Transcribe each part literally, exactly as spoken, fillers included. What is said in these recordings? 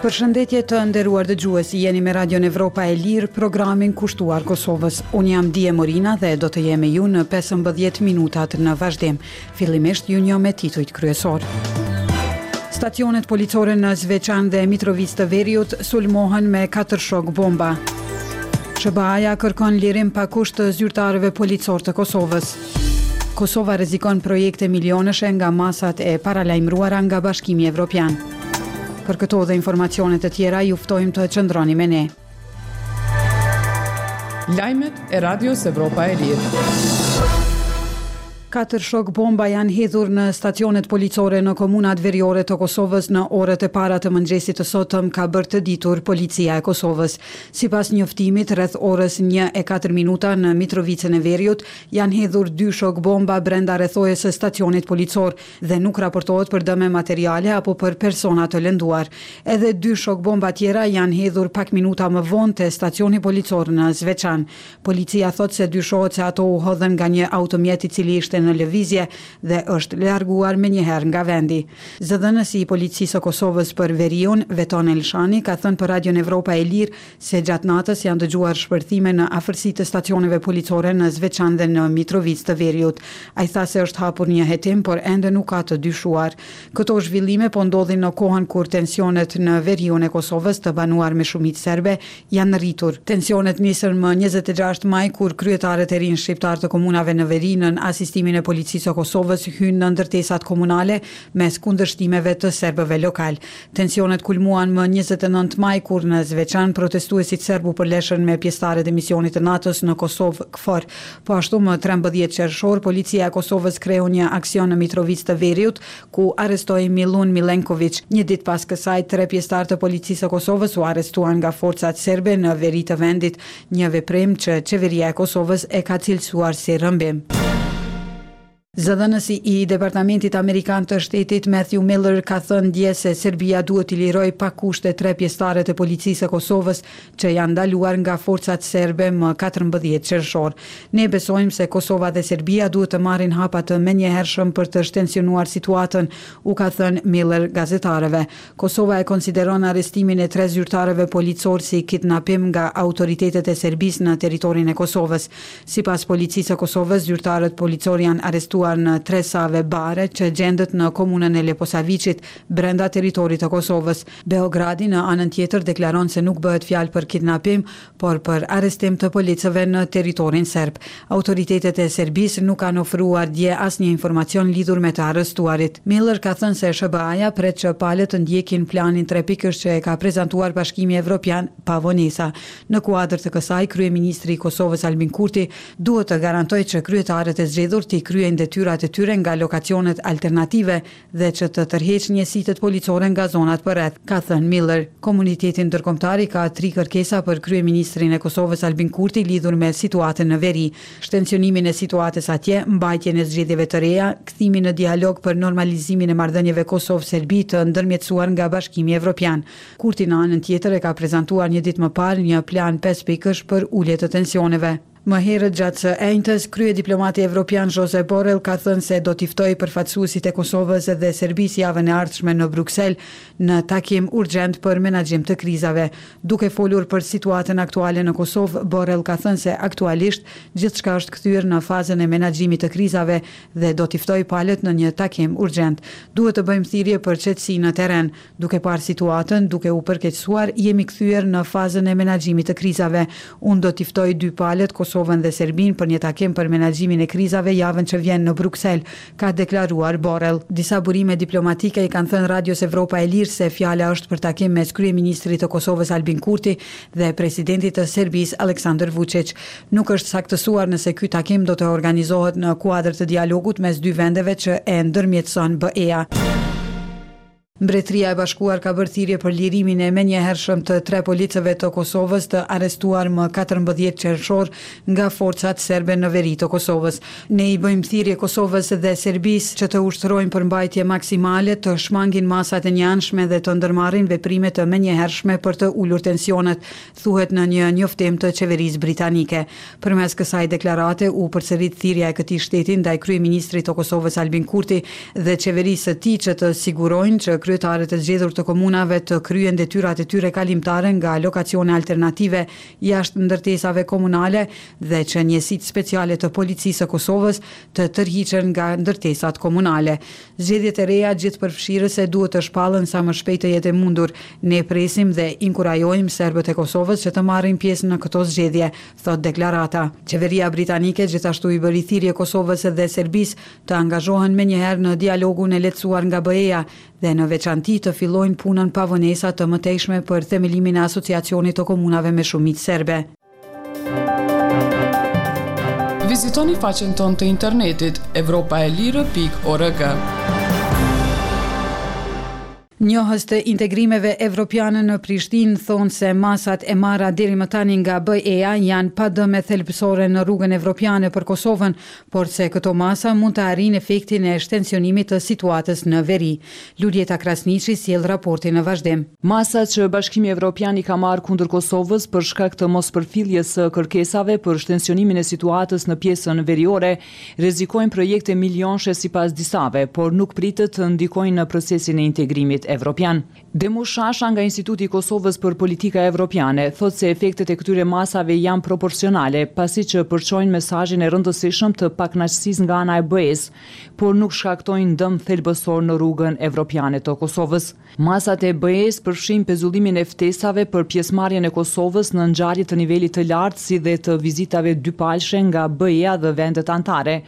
Përshëndetje të nderuar dëgjues, jeni me Radion Evropa e Lirë, programin kushtuar Kosovës. Unë jam Die Morina dhe do të jem me ju në pesëmbëdhjetë minutat në vazhdim. Fillimisht ju njoh me titujt kryesor. Stacionet policore në Zveçan dhe Mitrovicë të Veriut sulmohen me katër shok bomba. S H B A-ja kërkon lirim pa kusht të zyrtarëve policor të Kosovës. Kosova rrezikon projekte milionëshe nga masat e paralajmëruara nga Bashkimi Evropian. Për këto dhe informacione të tjera, ju ftojmë të qëndroni me ne. Lajmet e Radios Evropa e Lirë. Katër shok bomba janë hedhur në stacionet policore në komunat veriore të Kosovës në orët e para të mëngjesit të sotëm, ka bërë të ditur Policia e Kosovës. Sipas njoftimit, rreth orës një e katër minuta në Mitrovicën e Veriut janë hedhur dy shok bomba brenda rrethojës së stacionit policor dhe nuk raportohet për dëme materiale apo për persona të lënduar. Edhe dy shok bomba tjera janë hedhur pak minuta më vonë te stacioni policor në Zveçan. Policia thotë se dyshohet se ato u hodhën nga një automjet i cili ishte në lëvizje dhe është larguar menjëherë nga vendi. Zëdhënësi i Policisë së Kosovës për Veriun, Veton Elshani, ka thënë për Radion Evropa e Lirë se gjatë natës janë dëgjuar shpërthime në afërsi të stacioneve policore në Zveçan dhe në Mitrovicë të Veriut. Ai tha se është hapur një hetim, por ende nuk ka të dyshuar. Këto zhvillime po ndodhin në kohën kur tensionet në veriun e Kosovës, të banuar me shumicë serbe, janë rritur. Tensionet nisën më njëzet e gjashtë maj, kur kryetarët e rinj shqiptar të komunave në veri, nën asistimin e Policisë së Kosovës, hynë në ndërtesat komunale mes kundërshtimeve të serbëve lokal. Tensionet kulmuan më njëzet e nëntë maj, kur në Zveçan protestuesit serb u përleshën me pjesëtarët e misionit të NATO-s në Kosovë, KFOR. Po ashtu, më trembëdhjetë qershor, Policia e Kosovës kreu një aksion në Mitrovicë të Veriut, ku arrestoi Milun Milenković. Një ditë pas kësaj, tre pjesëtarë të Policisë së Kosovës u arrestuan nga forcat serbe në veri të vendit, një veprim që qeveria e Kosovës e ka cilësuar si rrëmbim. Zëdhënësi i Departamentit Amerikan të Shtetit, Matthew Miller, ka thënë dje se Serbia duhet t'i liroj pa kushte tre pjesëtarët e Policisë së Kosovës që janë ndaluar nga forcat serbe më katërmbëdhjetë qershor. "Ne besojmë se Kosova dhe Serbia duhet të marrin hapa të menjëhershëm për të shtensionuar situatën", u ka thënë Miller gazetarëve. Kosova e konsideron arrestimin e tre zyrtarëve policor si kidnapim nga autoritetet e Serbisë në territorin e Kosovës. Sipas Policisë së Kosovës, zyrtarët policor janë arrestuar në Tresave Bare, që gjendet në komunën e Leposaviqit, brenda territorit të Kosovës. Beogradi, në anën tjetër, deklaron se nuk bëhet fjalë për kidnapim, por për arrestim të policëve në territorin serb. Autoritetet e Serbisë nuk kanë ofruar dje asnjë informacion lidhur me të arrestuarit. Miller ka thënë se S H B A-ja pret që palët të ndjekin planin trepikësh që e ka prezantuar Bashkimi Evropian pa vonesa. Në kuadër të kësaj, kryeministri i Kosovës, Albin Kurti, duhet të garantojë që kryetarët e zgjedhur t'i kryejnë detyrat e tyre nga lokacionet alternative dhe që të tërheqë njësitet policore nga zonat përreth, ka thënë Miller. Komuniteti ndërkombëtar i ka tri kërkesa për kryeministrin e Kosovës, Albin Kurti, lidhur me situatën në veri: shtensionimin e situatës atje, mbajtjen e zgjedhjeve të reja, kthimin në dialog për normalizimin e marrëdhënieve Kosovë-Serbi të ndërmjetësuar nga Bashkimi Evropian. Kurti, në anën tjetër, e ka prezantuar një ditë më parë një plan pesë pikësh për ulje të tensioneve. Më herët gjatë së enjtës, kryediplomati evropian Josep Borrell ka thënë se do t'i ftojë përfaqësuesit e Kosovës dhe Serbisë javën e ardhshme në Bruksel në takim urgjent për menaxhim të krizave. Duke folur për situatën aktuale në Kosovë, Borrell ka thënë se aktualisht gjithçka është kthyer në fazën e menaxhimit të krizave dhe do t'i ftojë palët në një takim urgjent. "Duhet të bëjmë thirrje për qetësi në terren. Duke parë situatën duke u përkeqësuar, jemi kthyer në fazën e menaxhimit të krizave. Unë do t'i ftoj dy palët, Kosovën dhe Serbinë, për një takim për menaxhimin e krizave javën që vjen në Bruksel", ka deklaruar Borrell. Disa burime diplomatike i kanë thënë Radios Evropa e Lirë se fjala është për takim mes kryeministrit të Kosovës, Albin Kurti, dhe presidentit të Serbisë, Aleksandar Vučić. Nuk është saktësuar nëse ky takim do të organizohet në kuadër të dialogut mes dy vendeve që e ndërmjetëson B E-ja. Mbretëria e Bashkuar ka bërë thirrje për lirimin e menjëhershëm të tre policëve të Kosovës të arrestuar më katërmbëdhjetë qershor nga forcat serbe në veri të Kosovës. "Ne i bëjmë thirrje Kosovës dhe Serbisë që të ushtrojnë përmbajtje maksimale, të shmangin masat e njëanshme dhe të ndërmarrin veprime të menjëhershme për të ulur tensionet", thuhet në një njoftim të qeverisë britanike. Përmes kësaj deklarate u përsërit thirrja e këtij shteti ndaj kryeministrit të Kosovës, Albin Kurti, dhe qeverisë së tij që të sigurojnë që kryetarët e zgjedhur të komunave të kryen detyrat e tyre kalimtare nga lokacione alternative jashtë ndërtesave komunale dhe që njësitë speciale të policisë së Kosovës të tërhiqen nga ndërtesat komunale. Zgjedhjet e reja gjithëpërfshirëse duhet të shpallen sa më shpejt të jetë e mundur. Ne presim dhe inkurajojmë serbët e Kosovës që të marrin pjesë në këto zgjedhje, thot deklarata. Qeveria britanike gjithashtu i bëri thirrje Kosovës dhe Serbisë të angazhohen menjëherë në dialogun e lehtësuar nga B E-ja dhe në veçanti të fillojnë punën pa vonesa të mëtejshme për themelimin e asociacionit të komunave me shumicë serbe. Vizitoni faqen tonë të internetit evropaelire pikë org. Njohës të integrimeve evropiane në Prishtinë thonë se masat e marra deri më tani nga B E-ja janë pa dëme thelbësore në rrugën evropiane për Kosovën, por se këto masa mund të arrijnë efektin e shtensionimit të situatës në veri. Luljeta Krasniqi sjell raportin në vazhdim. Masat që Bashkimi Evropian i ka marrë kundër Kosovës për shkak të mospërfilljes së kërkesave për shtensionimin e situatës në pjesën veriore rrezikojnë projekte milionshe sipas disave, por nuk pritet të ndikojnë në procesin e integrimit evropian. Demu Shasha nga Instituti i Kosovës për Politika Evropiane thot se efektet e këtyre masave janë proporcionale, pasi që përçojnë mesazhin e rëndësishëm të pakënaqësisë nga ana e B E-s, por nuk shkaktojnë dëm thelbësor në rrugën evropiane të Kosovës. Masat e B E-s përfshijnë pezullimin e ftesave për pjesëmarrjen e Kosovës në ngjarje të nivelit të lartë, si dhe të vizitave dypalshe nga B E-ja dhe vendet anëtare.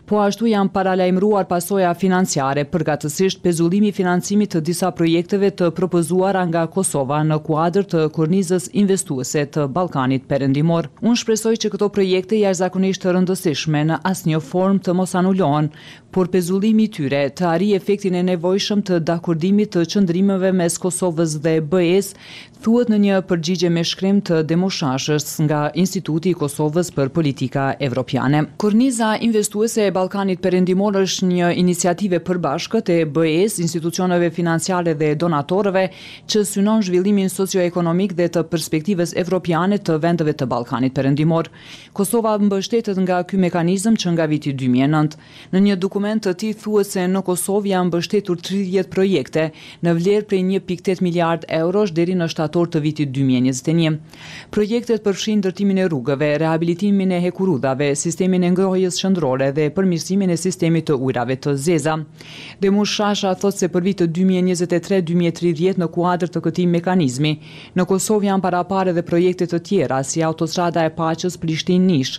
Po ashtu janë paralajmëruar pasoja financiare, përkatësisht pezullimi i financimit të disa projekteve të propozuara nga Kosova në kuadër të kornizës investuese të Ballkanit Perëndimor. "Unë shpresoj që këto projekte jashtëzakonisht të rëndësishme në asnjë formë të mos anulohen, por pezullimi i tyre të arrijë efektin e nevojshëm të dakordimit të qëndrimeve mes Kosovës dhe B E-s", thuhet në një përgjigje me shkrim të Demu Shashës nga Instituti i Kosovës për Politika Evropiane. Korniza investuese e Ballkanit Perëndimor është një iniciativë e përbashkët e B E-s, institucioneve financiare dhe donatorëve që synon zhvillimin socioekonomik dhe të perspektivës evropiane të vendeve të Ballkanit Perëndimor. Kosova mbështetet nga ky mekanizëm që nga viti dy mijë e nëntë. Në një dokument të tij thuhet se në Kosovë janë mbështetur tridhjetë projekte në vlerë prej një pikë tetë miliard eurosh deri në shtator të vitit dy mijë e njëzet e një. Projektet përfshijnë ndërtimin e rrugëve, rehabilitimin e hekurudhave, sistemin e ngrohjes qendrore dhe përmirësimin e sistemit të ujrave të zeza. Demush Shasha thotë se për vitet dy mijë e njëzet e tre-dy mijë e tridhjetë në kuadër të këtij mekanizmi, në Kosovë janë parapare edhe projekte të tjera si autostrada e paqes Prishtinë-Nish,